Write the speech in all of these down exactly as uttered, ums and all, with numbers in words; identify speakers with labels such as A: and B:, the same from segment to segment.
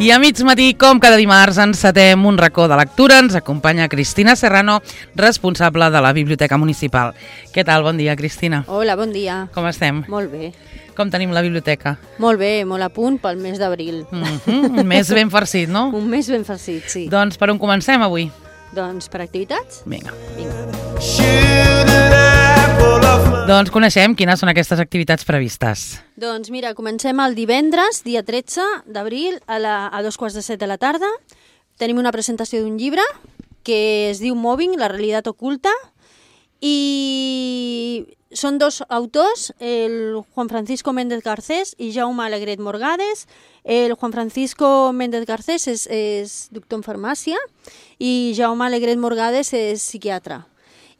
A: I a mig matí, com cada dimarts, encetem un racó de lectura. Ens acompanya Cristina Serrano, responsable de la Biblioteca Municipal. Què tal? Bon dia, Cristina.
B: Hola, bon dia.
A: Com estem?
B: Molt bé.
A: Com tenim la biblioteca?
B: Molt bé, molt a punt pel mes d'abril.
A: Mm-hmm. Un mes ben farcit, no?
B: Un mes ben farcit, sí.
A: Doncs per on comencem avui?
B: Doncs per activitats?
A: Vinga.
B: Vinga.
A: Doncs coneixem quines són aquestes activitats previstes.
B: Doncs mira, comencem el divendres, dia tretze d'abril, a, la, a dos quarts de set de la tarda. Tenim una presentació d'un llibre que es diu Mobbing, la realitat oculta, i són dos autors, el Juan Francisco Méndez Garcés i Jaume Alegret Morgades. El Juan Francisco Méndez Garcés és, és doctor en farmàcia i Jaume Alegret Morgades és psiquiatre.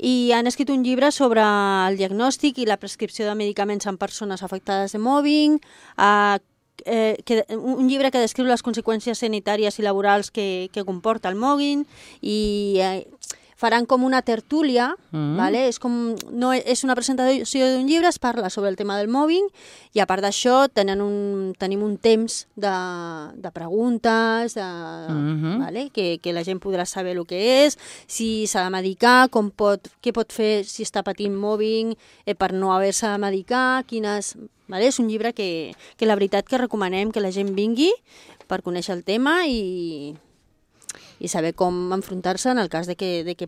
B: I han escrit un llibre sobre el diagnòstic i la prescripció de medicaments en persones afectades de mobbing, eh, eh, que, un llibre que descriu les conseqüències sanitàries i laborals que, que comporta el mobbing, i eh, faran com una tertúlia, mm. vale? És, com, no, és una presentació d'un llibre, es parla sobre el tema del mobbing, i a part d'això un, tenim un temps de, de preguntes, de, mm-hmm. vale? que, que la gent podrà saber el que és, si s'ha de medicar, com pot, què pot fer si està patint mobbing eh, per no haver-se de medicar, quines... Vale? És un llibre que, que la veritat que recomanem que la gent vingui per conèixer el tema i... i saber com enfrontar-se en el cas de que, de que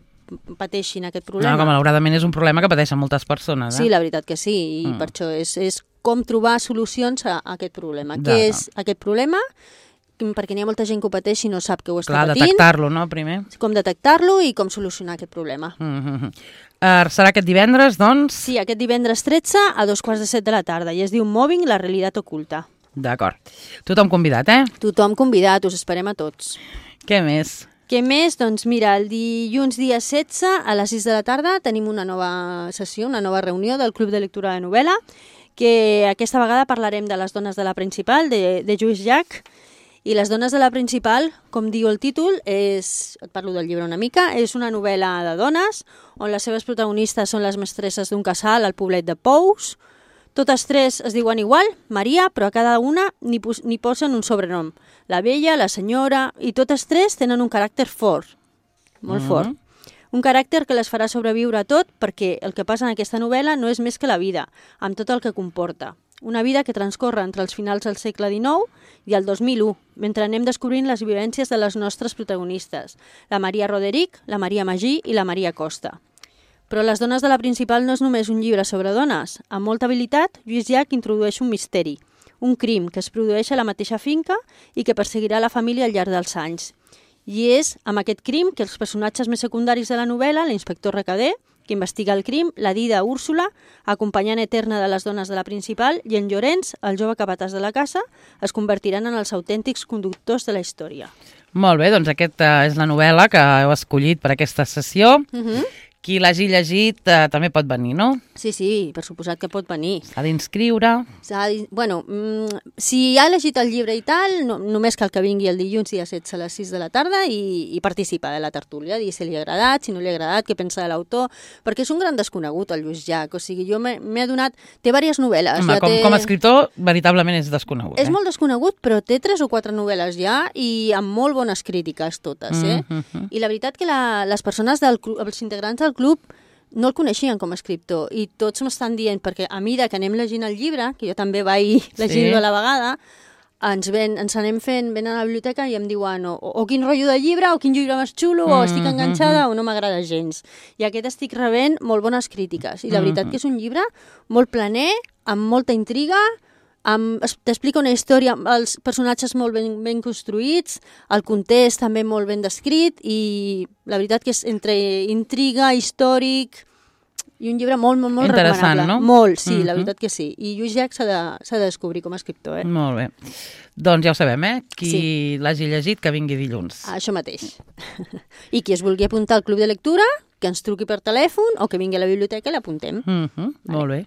B: pateixin aquest problema.
A: No, que malauradament és un problema que pateixen moltes persones. Eh?
B: Sí, la veritat que sí, i mm. per això és, és com trobar solucions a, a aquest problema. Què és aquest problema? Perquè n'hi ha molta gent que ho pateix i no sap que ho està
A: Clar,
B: patint.
A: detectar-lo, no, primer?
B: Com detectar-lo i com solucionar aquest problema.
A: Mm-hmm. uh, serà aquest divendres, doncs?
B: Sí, aquest divendres tretze a dos quarts de set de la tarda, i es diu Mobbing, la realitat oculta.
A: D'acord. Tothom convidat, eh?
B: Tothom convidat, us esperem a tots.
A: Què més?
B: Què més? Doncs mira, el dilluns dia setze a les sis de la tarda tenim una nova sessió, una nova reunió del Club de Lectura de Novel·la, que aquesta vegada parlarem de les dones de la principal, de, de Lluís Llach. I les dones de la principal, com diu el títol, és, et parlo del llibre una mica, és una novel·la de dones, on les seves protagonistes són les mestresses d'un casal al poblet de Pous. Totes tres es diuen igual, Maria, però a cada una n'hi pos posen un sobrenom. La vella, la senyora, i totes tres tenen un caràcter fort, molt mm-hmm. fort. Un caràcter que les farà sobreviure a tot, perquè el que passa en aquesta novel·la no és més que la vida, amb tot el que comporta. Una vida que transcorre entre els finals del segle dinou i el dos mil u, mentre anem descobrint les vivències de les nostres protagonistes, la Maria Roderick, la Maria Magí i la Maria Costa. Però Les dones de la principal no és només un llibre sobre dones. Amb molta habilitat, Lluís Llach introdueix un misteri, un crim que es produeix a la mateixa finca i que perseguirà la família al llarg dels anys. I és amb aquest crim que els personatges més secundaris de la novel·la, l'inspector Recader, que investiga el crim, la Dida Úrsula, acompanyant eterna de les dones de la principal, i en Llorenç, el jove capatàs de la casa, es convertiran en els autèntics conductors de la història.
A: Molt bé, doncs aquesta és la novel·la que heu escollit per aquesta sessió. Uh-huh. Qui l'hagi llegit eh, també pot venir, no?
B: Sí, sí, per suposat que pot venir.
A: S'ha d'inscriure.
B: Bueno, mm, si ha llegit el llibre i tal, no, només cal que vingui el dilluns dia setze a les sis de la tarda i, i participa de la tertúlia, dir si li ha agradat, si no li ha agradat, què pensa de l'autor, perquè és un gran desconegut, el Lluís Llach. O sigui, jo m'he adonat... Té diverses novel·les.
A: Home,
B: ja
A: com,
B: té...
A: com a escriptor, veritablement és desconegut.
B: És
A: eh?
B: molt desconegut, però té tres o quatre novel·les ja i amb molt bones crítiques totes, eh? Mm-hmm. I la veritat que la, les persones, del club, els integrants del club, no el coneixien com a escriptor, i tots m'estan dient, perquè a mesura que anem llegint el llibre, que jo també vaig llegint-lo sí. a la vegada, ens, ven, ens anem fent, venen a la biblioteca i em diuen o, o quin rotllo de llibre, o quin llibre més xulo, mm-hmm. o estic enganxada o no m'agrada gens. I aquest estic rebent molt bones crítiques, i la veritat mm-hmm. que és un llibre molt planer, amb molta intriga, t'explica una història, els personatges molt ben, ben construïts, el context també molt ben descrit, i la veritat que és entre intriga, històric, i un llibre molt, molt, molt
A: interessant,
B: recomanable.
A: No?
B: Molt, sí,
A: uh-huh.
B: la veritat que sí. I Lluís Llach s'ha de, s'ha de descobrir com a escriptor. Eh?
A: Molt bé. Doncs ja ho sabem, eh? Qui
B: sí.
A: l'hagi llegit, que vingui dilluns.
B: Ah, això mateix. I qui es vulgui apuntar al club de lectura, que ens truqui per telèfon o que vingui a la biblioteca i l'apuntem.
A: Uh-huh. Vale. Molt bé.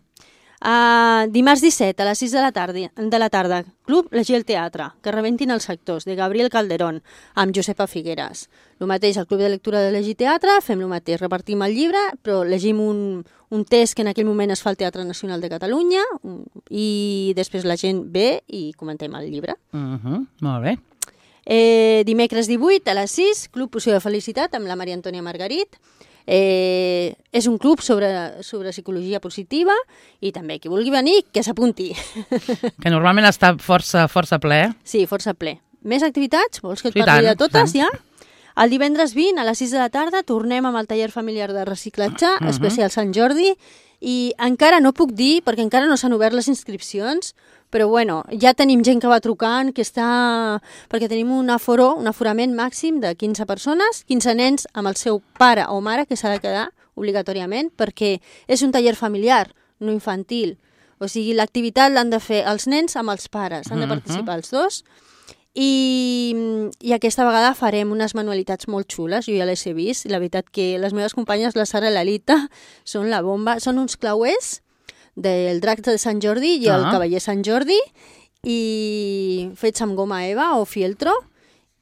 B: Uh, dimarts disset a les sis de la tarda, de la tarda, Club Llegir el Teatre, que rebentin els sectors, de Gabriel Calderón, amb Josepa Figueres. El mateix, al Club de Lectura de Llegir Teatre, fem el mateix, repartim el llibre, però llegim un, un test que en aquell moment es fa al Teatre Nacional de Catalunya, i després la gent ve i comentem el llibre.
A: Uh-huh. Molt bé.
B: Eh, dimecres divuit a les sis, Club Poció de Felicitat amb la Maria Antònia Margarit. Eh, és un club sobre, sobre psicologia positiva i també qui vulgui venir, que s'apunti.
A: Que normalment està força, força ple.
B: Sí, força ple. Més activitats? Vols que et
A: Sí,
B: parli
A: tant,
B: de totes,
A: tant.
B: ja? El divendres vint a les sis de la tarda tornem amb el taller familiar de reciclatge, uh-huh. especial Sant Jordi, i encara no puc dir, perquè encara no s'han obert les inscripcions, però bueno, ja tenim gent que va trucant, que està... perquè tenim un aforo, un aforament màxim de quinze persones, quinze nens amb el seu pare o mare, que s'ha de quedar obligatòriament, perquè és un taller familiar, no infantil. O sigui, l'activitat l'han de fer els nens amb els pares, han de participar els dos, i, i aquesta vegada farem unes manualitats molt xules, jo ja les he vist, i la veritat que les meves companyes, la Sara i l'Alita, són la bomba, són uns clauers del drac de Sant Jordi i el
A: Ah.
B: cavaller Sant Jordi, i fets amb goma eva o fieltro,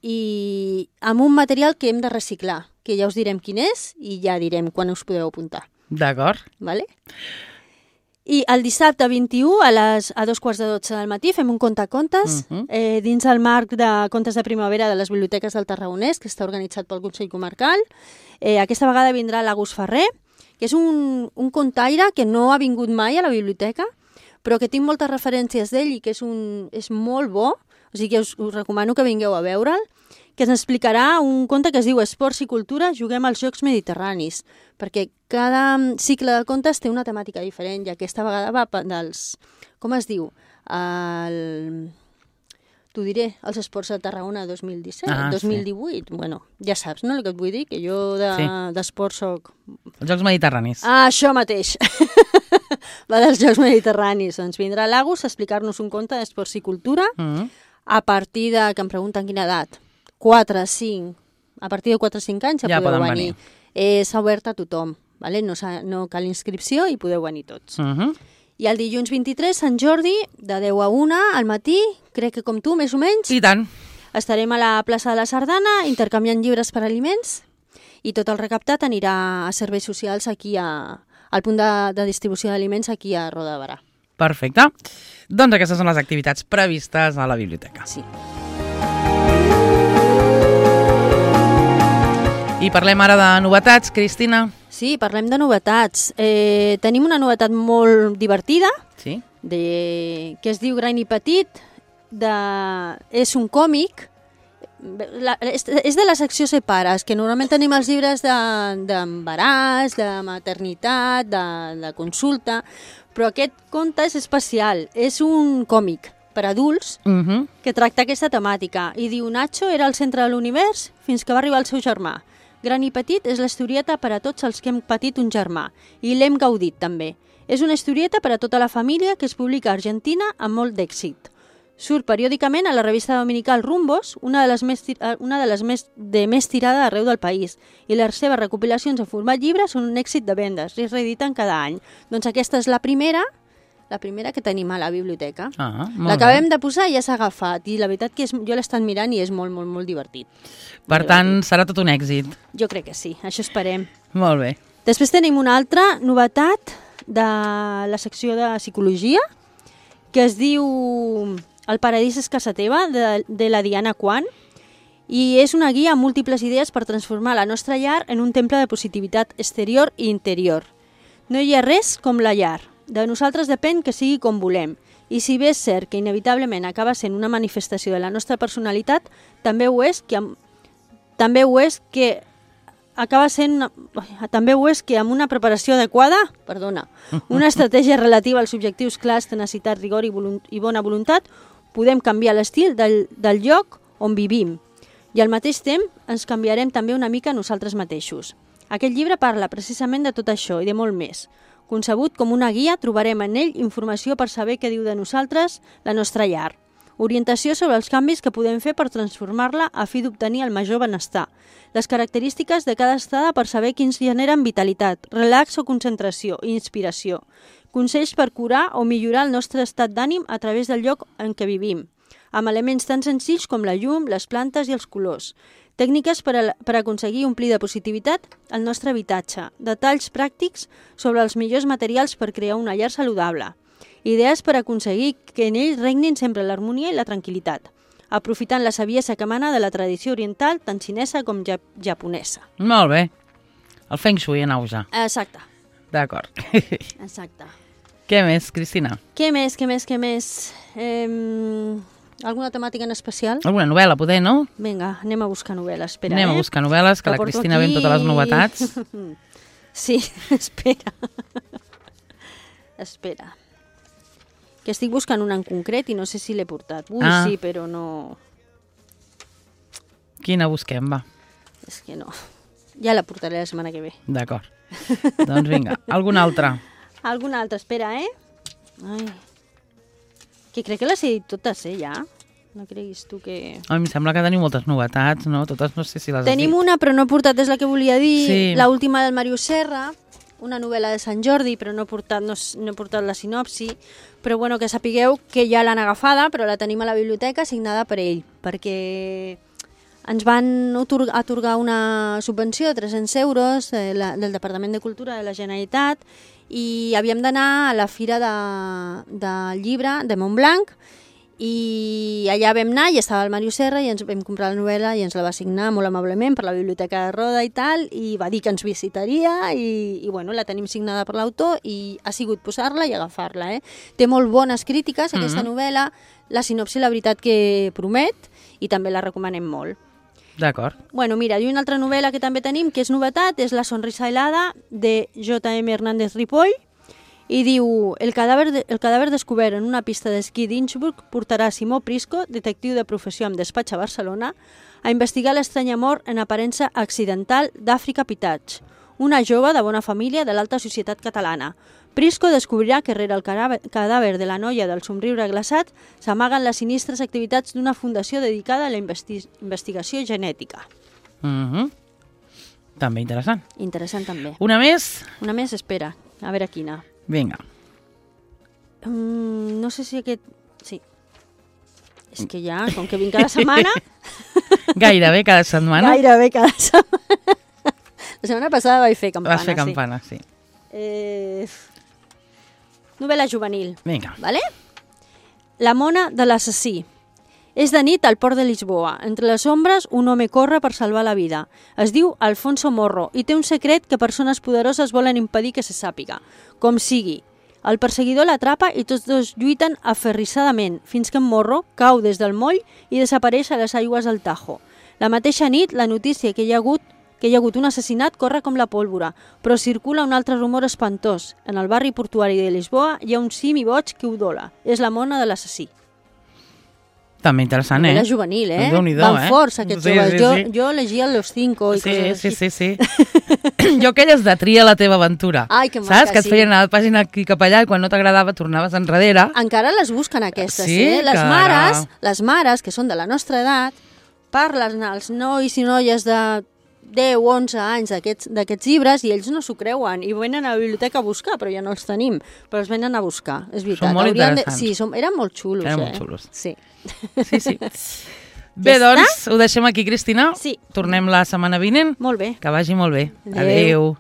B: i amb un material que hem de reciclar, que ja us direm quin és i ja direm quan us podeu apuntar.
A: D'acord.
B: Vale? I el dissabte vint-i-u a, les, a dos quarts de dotze del matí fem un contacontes
A: Uh-huh.
B: eh, dins el marc de contes de primavera de les biblioteques del Tarragonès, que està organitzat pel Consell Comarcal. Eh, aquesta vegada vindrà l'Agus Ferrer, que és un, un contaire que no ha vingut mai a la biblioteca, però que tinc moltes referències d'ell i que és, un, és molt bo, o sigui que us, us recomano que vingueu a veure'l, que ens explicarà un conte que es diu Esports i cultura, juguem als Jocs Mediterranis, perquè cada cicle de contes té una temàtica diferent i aquesta vegada va dels... Com es diu? El... T'ho diré, els Esports de Tarragona dos mil disset,
A: Ah,
B: dos mil divuit, sí. Bueno, ja saps, no?, el que et vull dir, que jo d'esports de,
A: Sí.
B: soc...
A: Els Jocs Mediterranis.
B: Ah, això mateix! Va dels Jocs Mediterranis. Doncs vindrà l'Agus a explicar-nos un conte d'esports i cultura
A: Mm.
B: a partir de, que em pregunten quina edat, quatre, cinc, a partir de quatre o cinc anys ja,
A: Ja
B: podeu
A: poden
B: venir.
A: venir.
B: Eh, S'ha obert a tothom, vale? no, no cal inscripció i podeu venir tots.
A: Uh-huh.
B: I el dilluns vint-i-tres, Sant Jordi, de deu a una al matí, crec que com tu, més o menys,
A: I tant.
B: estarem a la plaça de la Sardana intercanviant llibres per aliments i tot el recaptat anirà a serveis socials aquí a, al punt de, de distribució d'aliments aquí a Roda de Barà.
A: Perfecte. Doncs aquestes són les activitats previstes a la biblioteca.
B: Sí.
A: I parlem ara de novetats, Cristina.
B: Sí, parlem de novetats. Eh, tenim una novetat molt divertida,
A: Sí.
B: de, que es diu Gran i Petit, de, és un còmic, la, és, és de la secció Separes, que normalment tenim els llibres d'embaràs, de, de maternitat, de, de consulta, però aquest conte és especial, és un còmic per adults
A: Uh-huh.
B: que tracta aquesta temàtica i diu Nacho era el centre de l'univers fins que va arribar el seu germà. Gran i Petit és l'historieta per a tots els que hem patit un germà i l'hem gaudit també. És una historieta per a tota la família que es publica a Argentina amb molt d'èxit. Surt periòdicament a la revista dominical Rumbos, una de les més, una de, les més, de més tirada arreu del país, i les seves recopilacions en format llibre són un èxit de vendes i es reediten cada any. Doncs aquesta és la primera, la primera que tenim a la biblioteca.
A: Ah, molt
B: L'acabem
A: bé.
B: de posar i ja s'ha agafat, i la veritat que és, jo l'he estat mirant i és molt, molt, molt divertit.
A: Per tant, serà tot un èxit.
B: Jo crec que sí, això esperem.
A: Molt bé.
B: Després tenim una altra novetat de la secció de psicologia, que es diu El paradís és casa teva, de, de la Diana Quan, i és una guia amb múltiples idees per transformar la nostra llar en un temple de positivitat exterior i interior. No hi ha res com la llar. De nosaltres depèn que sigui com volem. I si bé és cert que inevitablement acaba sent una manifestació de la nostra personalitat, també ho és que, amb, també ho és que acaba sent una, també ho és que amb una preparació adequada, perdona, una estratègia relativa als objectius clars, tenacitat, rigor i, volunt, i bona voluntat, podem canviar l'estil del, del lloc on vivim. I al mateix temps ens canviarem també una mica nosaltres mateixos. Aquest llibre parla precisament de tot això i de molt més. Concebut com una guia, trobarem en ell informació per saber què diu de nosaltres la nostra llar. Orientació sobre els canvis que podem fer per transformar-la a fi d'obtenir el major benestar. Les característiques de cada estada per saber quins generen vitalitat, relax o concentració i inspiració. Consells per curar o millorar el nostre estat d'ànim a través del lloc en què vivim, amb elements tan senzills com la llum, les plantes i els colors. Tècniques per, a, per aconseguir omplir de positivitat el nostre habitatge. Detalls pràctics sobre els millors materials per crear una llar saludable. Idees per aconseguir que en ell regnin sempre l'harmonia i la tranquil·litat. aprofitant la saviesa que emana de la tradició oriental, tant xinesa com ja japonesa.
A: Molt bé. El Feng Shui en auge.
B: Exacte.
A: D'acord.
B: Exacte.
A: Què més, Cristina?
B: Què més, què més, què més? Eh, alguna temàtica en especial?
A: Alguna novel·la, poder, no?
B: Vinga, anem a buscar novel·les. Espera,
A: anem
B: eh?
A: a buscar novel·les, que, que la Cristina aquí... ve amb totes les novetats.
B: Sí, espera. Espera. Que estic buscant una en concret i no sé si l'he portat. Ui, ah. sí, però no...
A: Quina busquem, va?
B: És que no. Ja la portaré la setmana que ve.
A: D'acord. Doncs vinga, alguna altra?
B: Alguna altra, espera, eh? Ai. Que crec que les he dit totes, eh, ja? No creguis tu que...
A: A mi em sembla que teniu moltes novetats, no? Totes no sé si les
B: Tenim
A: has dit.
B: una, però no he portat, és la que volia dir.
A: Sí.
B: L'última del Màrius Serra, una novel·la de Sant Jordi, però no he portat, no, no he portat la sinopsi. Però bueno, que sapigueu que ja l'han agafada, però la tenim a la biblioteca signada per ell, perquè ens van atorgar, atorgar una subvenció de tres-cents euros eh, la, del Departament de Cultura de la Generalitat i havíem d'anar a la Fira de, del Llibre de Montblanc i allà vam anar i estava el Màrius Serra i ens vam comprar la novel·la i ens la va signar molt amablement per la Biblioteca de Roda i tal, i va dir que ens visitaria i, i bueno, la tenim signada per l'autor i ha sigut posar-la i agafar-la. Eh? Té molt bones crítiques aquesta mm-hmm. novel·la, la sinopsi la veritat que promet i també la recomanem molt.
A: D'acord.
B: Bueno, mira, i una altra novel·la que també tenim, que és novetat, és La sonrisa helada, de J M Hernández Ripoll, i diu, el cadàver, de, el cadàver descobert en una pista d'esquí d'Innsbruck portarà Simó Prisco, detectiu de professió amb despatx a Barcelona, a investigar l'estranya mort en aparença accidental d'Àfrica Pitatx, una jove de bona família de l'alta societat catalana. Prisco descobrirà que rere el cadàver de la noia del somriure glaçat s'amaguen les sinistres activitats d'una fundació dedicada a la investi investigació genètica.
A: Mm-hmm. També interessant.
B: Interessant també.
A: Una més?
B: Una més, espera, a veure quina.
A: Vinga.
B: Mm, no sé si aquest... Sí. És que ja, com que vinc cada setmana...
A: Gairebé cada setmana?
B: Gairebé cada setmana. La setmana passada vaig fer campana,
A: Vas fer campana, sí. sí.
B: Eh... Novel·la juvenil.
A: Vinga.
B: Vale? La mona de l'assassí. És de nit al port de Lisboa. Entre les ombres, un home corre per salvar la vida. Es diu Alfonso Morro i té un secret que persones poderoses volen impedir que se sàpiga. Com sigui. El perseguidor l'atrapa i tots dos lluiten aferrissadament, fins que en Morro cau des del moll i desapareix a les aigües del Tajo. La mateixa nit, la notícia que hi ha hagut que hi ha hagut un assassinat corre com la pólvora, però circula un altre rumor espantós. En el barri portuari de Lisboa hi ha un simi boig que udola. És la mona de l'assassí.
A: També interessant, eh?
B: Novel·la juvenil, eh?
A: Van
B: eh? forts, aquests
A: sí,
B: joves.
A: Sí,
B: jo,
A: sí.
B: jo llegia Los Cinco i
A: sí,
B: coses
A: sí,
B: així.
A: sí, sí. Jo aquelles de tria la teva aventura.
B: Ai, que maca,
A: saps? Que et
B: sí.
A: feien a la pàgina aquí cap allà i quan no t'agradava tornaves enrere.
B: Encara les busquen aquestes,
A: sí,
B: eh? Les
A: cara.
B: mares, les mares, que són de la nostra edat, parlen als nois i noies de deu, onze anys d'aquests llibres i ells no s'ho creuen i venen a la biblioteca a buscar, però ja no els tenim, però els venen a buscar, és veritat.
A: Són molt
B: Haurien
A: interessants.
B: De... Sí, som... eren molt xulos,
A: eren
B: eh?
A: molt xulos.
B: Sí.
A: Sí, sí. Bé,
B: ja
A: doncs, ho deixem aquí, Cristina.
B: Sí.
A: Tornem la setmana vinent.
B: Molt bé.
A: Que vagi molt bé.
B: Adéu.
A: Adéu.